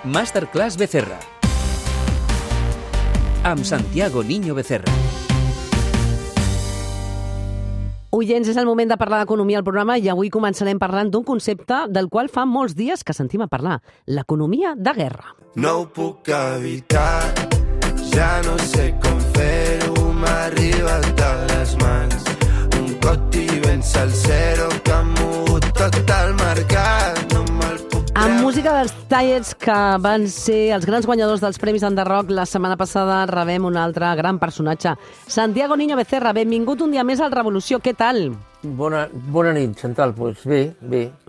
Masterclass Becerra, amb Santiago Niño Becerra. Oients, és el moment de parlar d'economia al programa i avui començarem parlant d'un concepte del qual fa molts dies que sentim a parlar, l'economia de guerra. No ho puc evitar, ja no sé com fer-ho, m'ha arribat de les mans. Un cot i ben salsero que ha mogut tot el mercat, no me'l puc treure. Amb música dels Tallets, que van ser els grans guanyadors dels Premis Enderrock, la setmana passada rebem un altre gran personatge. Santiago Niño Becerra, benvingut un dia més al Revolució, què tal? Bona nit, Chantal. Doncs bé.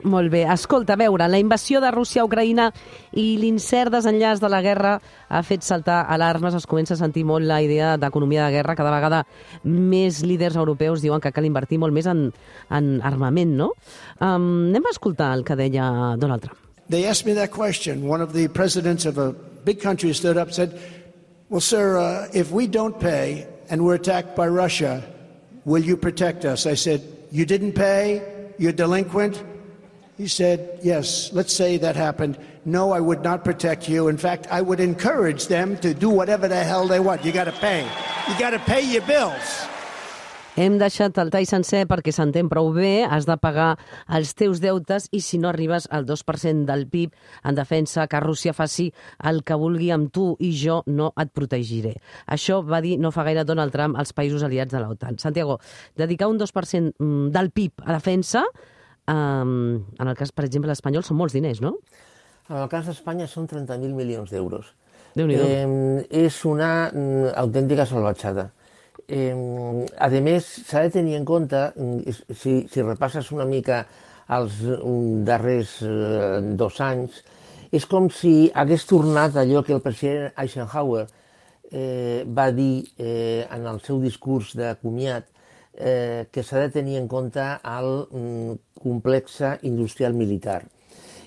Molt bé. Escolta, a veure, la invasió de Rússia a Ucraïna i l'incert desenllaç de la guerra ha fet saltar alarmes. Es comença a sentir molt la idea d'economia de guerra. Cada vegada més líders europeus diuen que cal invertir molt més en armament, no? Anem a escoltar el que deia Donald Trump. They asked me that question. One of the presidents of a big country stood up and said, well, sir, if we don't pay and we're attacked by Russia, will you protect us? I said, you didn't pay? You're delinquent? He said, yes, let's say that happened. No, I would not protect you. In fact, I would encourage them to do whatever the hell they want. You got to pay. You got to pay your bills. Hem deixat el tall sencer perquè s'entén prou bé, has de pagar els teus deutes i si no arribes al 2% del PIB en defensa que Rússia faci el que vulgui amb tu i jo no et protegiré. Això va dir no fa gaire Donald Trump als països aliats de l'OTAN. Santiago, dedicar un 2% del PIB a defensa, en el cas, per exemple, l'espanyol, són molts diners, no? En el cas d'Espanya són 30.000 milions d'euros. Déu-n'hi-do. És una autèntica salvatjada. A més, s'ha de tenir en compte, si repasses una mica els darrers 2 anys, és com si hagués tornat allò que el president Eisenhower va dir en el seu discurs de comiat, que s'ha de tenir en compte el complex industrial militar.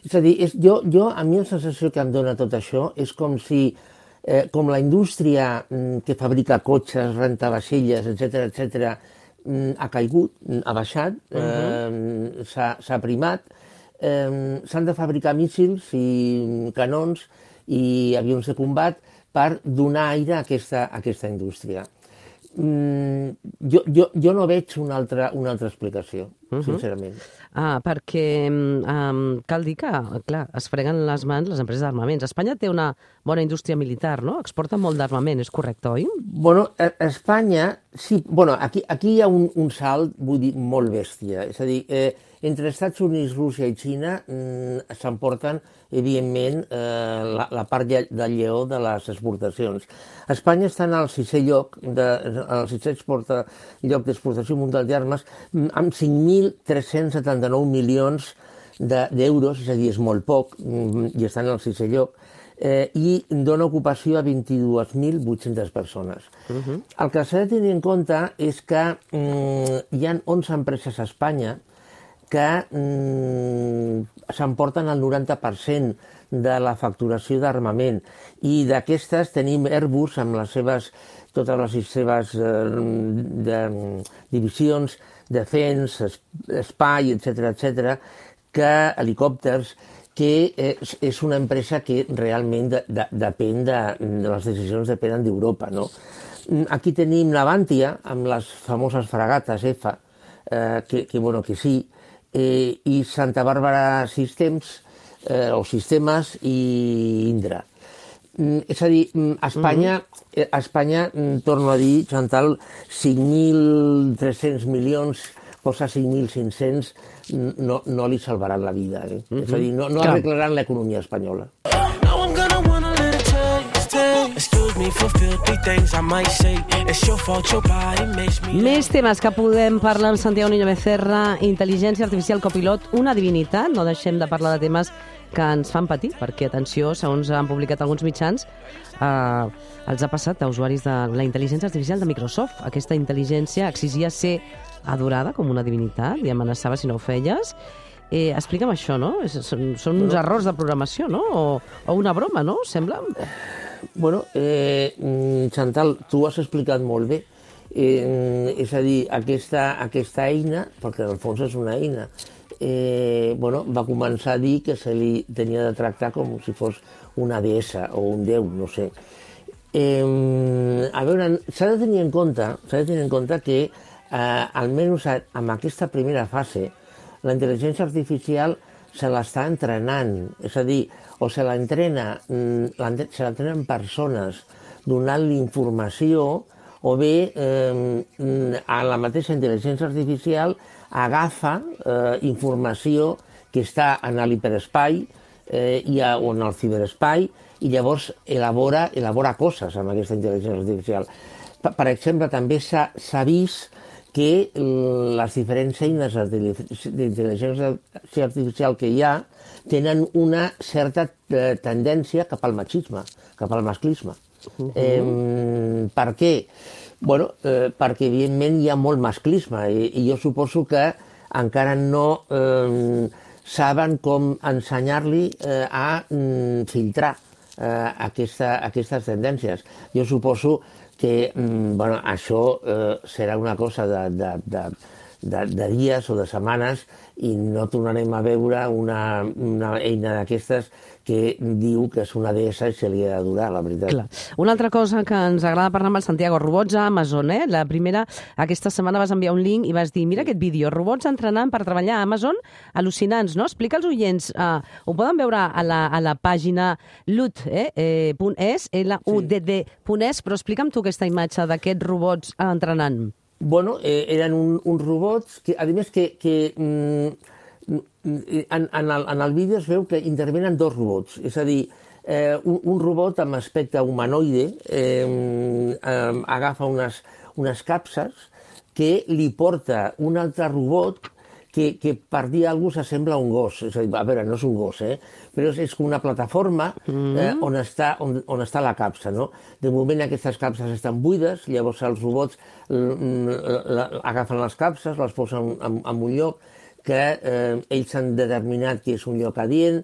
És a dir, a mi la sensació que em dona tot això és com si com la indústria que fabrica cotxes, renta vaixelles, etc., ha caigut, ha baixat, s'ha primat, s'han de fabricar míssils i canons i avions de combat per donar aire a aquesta indústria. Jo no veig una altra explicació, sincerament. Perquè cal dir que, clar, es freguen les mans les empreses d'armaments. Espanya té una bona indústria militar, no? Exporta molt d'armament, és correcte, oi? Bueno, Espanya, sí. Bueno, aquí hi ha un salt, vull dir, molt bèstia. És a dir, entre Estats Units, Rússia i Xina s'emporten, evidentment, la part del lleó de les exportacions. Espanya està en el 6è lloc, el 6è lloc d'exportació mundial d'armes, amb 5.379 milions d'euros, és a dir, és molt poc, i està en el 6è lloc, i dona ocupació a 22.800 persones. El que s'ha de tenir en compte és que hi ha 11 empreses a Espanya que s'emporten el 90% de la facturació d'armament. I d'aquestes tenim Airbus amb totes les seves divisions, Defense, Espai, etc., que helicòpters, que és una empresa que realment depèn de les decisions depenen d'Europa, no? Aquí tenim Navantia, amb les famoses fragates F, que sí, i Santa Bàrbara Systems, o Sistemes, i Indra. És a dir, a Espanya, torno a dir, Chantal, 5.300 milions, posa 5.500, no li salvaran la vida. És a dir, no arreglaran l'economia espanyola. Més temes que podem parlar amb Santiago Niño Becerra, intel·ligència artificial copilot, una divinitat. No deixem de parlar de temes que ens fan patir, perquè, atenció, segons han publicat alguns mitjans, els ha passat a usuaris de la intel·ligència artificial de Microsoft. Aquesta intel·ligència exigia ser adorada com una divinitat i amenaçava si no ho feies. Explica'm això, no? Són uns errors de programació, no? O una broma, no? Sembla? Bueno, Chantal, tu ho has explicat molt bé. És a dir, aquesta eina, perquè en el fons és una eina, va començar a dir que se li tenia de tractar com si fos una deessa o un déu, no sé. A veure, s'ha de tenir en compte que, almenys en aquesta primera fase, la intel·ligència artificial se l'està entrenant, és a dir, o se l'entrenen persones donant-li informació, o bé a la mateixa intel·ligència artificial agafa informació que està en l'hiperespai o en el ciberespai i llavors elabora coses amb aquesta intel·ligència artificial. Per exemple, també s'ha vist que les diferents eines d'intel·ligència artificial que hi ha tenen una certa tendència cap al machisme, cap al masclisme. Per què? Perquè evidentment hi ha molt masclisme i jo suposo que encara no saben com ensenyar-li a filtrar aquestes tendències. Jo suposo que això serà una cosa de dies o de setmanes i no tornarem a veure una eina d'aquestes que diu que és una deessa i se li ha d'adorar, la veritat. Clar. Una altra cosa que ens agrada parlar amb el Santiago, robots a Amazon, La primera, aquesta setmana vas enviar un link i vas dir, mira aquest vídeo, robots entrenant per treballar a Amazon, al·lucinants, no? Explica als oients, ho poden veure a la pàgina ludd.es, ludd.es, però explica'm tu aquesta imatge d'aquests robots entrenant. Eren uns robots que, a més, en el vídeo es veu que intervenen dos robots, és a dir, un robot amb aspecte humanoide agafa unes capses que li porta un altre robot que per dir alguna cosa s'assembla a un gos. És a dir, a veure, no és un gos, però és com una plataforma on està la capsa, no? De moment aquestes capses estan buides, llavors els robots agafen les capses, les posen en un lloc que ells han determinat que és un lloc adient.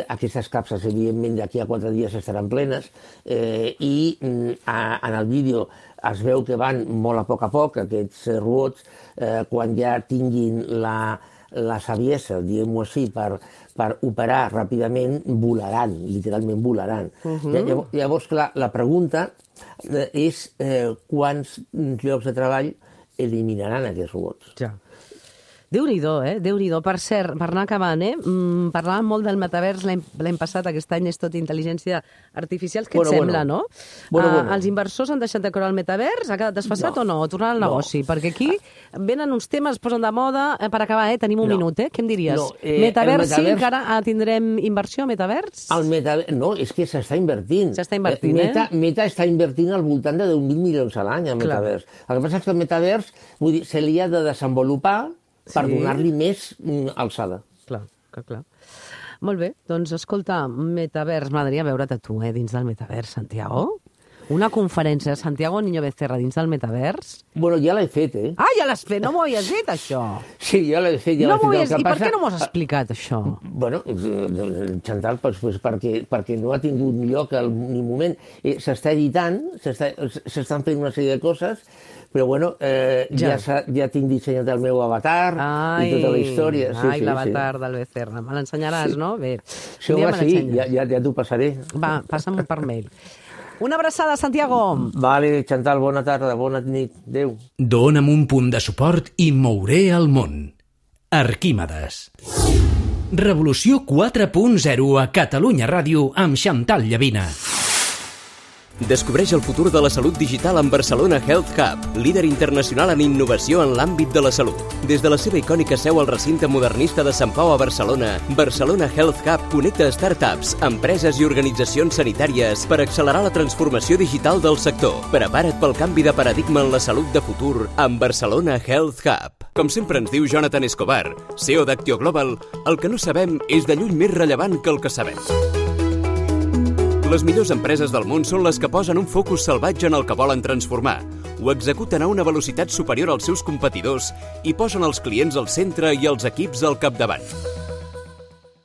Aquestes capses, evidentment, d'aquí a 4 dies estaran plenes i en el vídeo es veu que van molt a poc, aquests robots, quan ja tinguin la saviesa, diguem-ho així, per operar ràpidament, volaran, literalment volaran. Llavors, clar, la pregunta és quants llocs de treball eliminaran aquests robots. Ja. Déu-n'hi-do, Déu-n'hi-do. Per cert, per anar acabant, parlàvem molt del metavers l'any passat, aquest any és tot intel·ligència artificial. Què et sembla, no? Els inversors han deixat de creure el metavers? Ha quedat desfasat o no? O tornar al negoci? Perquè aquí venen uns temes, es posen de moda. Per acabar, tenim un minut, què em diries? Metavers, sí, encara tindrem inversió a metavers? No, és que s'està invertint. S'està invertint, Meta està invertint al voltant de 10.000 milions a l'any a metavers. El que passa és que el metavers se li ha de desenvolupar per donar-li més alçada. Clar. Molt bé, doncs escolta, metavers, m'agradaria veure't a tu, dins del metavers, Santiago. Una conferència de Santiago Niño Becerra dins del metavers. Ja l'he fet, Ah, ja l'has fet, no m'ho havies dit, això. Sí, ja l'he fet. I per què no m'ho has explicat, això? Chantal, perquè no ha tingut lloc ni moment. S'està editant, s'estan fent una sèrie de coses, però ja tinc dissenyat el meu avatar i tota la història. L'avatar del Becerra. Me l'ensenyaràs, no? Bé. Sí, ja t'ho passaré. Va, passa'm per mail. Una abraçada, Santiago. Vale, Chantal, bona tarda, bona nit. Adéu. Dóna'm un punt de suport i mouré el món. Arquímedes. Revolució 4.0 a Catalunya Ràdio amb Chantal Llavina. Descobreix el futur de la salut digital amb Barcelona Health Hub, líder internacional en innovació en l'àmbit de la salut. Des de la seva icònica seu al recinte modernista de Sant Pau a Barcelona, Barcelona Health Hub connecta startups, empreses i organitzacions sanitàries per accelerar la transformació digital del sector. Prepara't pel canvi de paradigma en la salut de futur amb Barcelona Health Hub. Com sempre ens diu Jonathan Escobar, CEO d'Actio Global, el que no sabem és de lluny més rellevant que el que sabem. Les millors empreses del món són les que posen un focus salvatge en el que volen transformar, ho executen a una velocitat superior als seus competidors i posen els clients al centre i els equips al capdavant.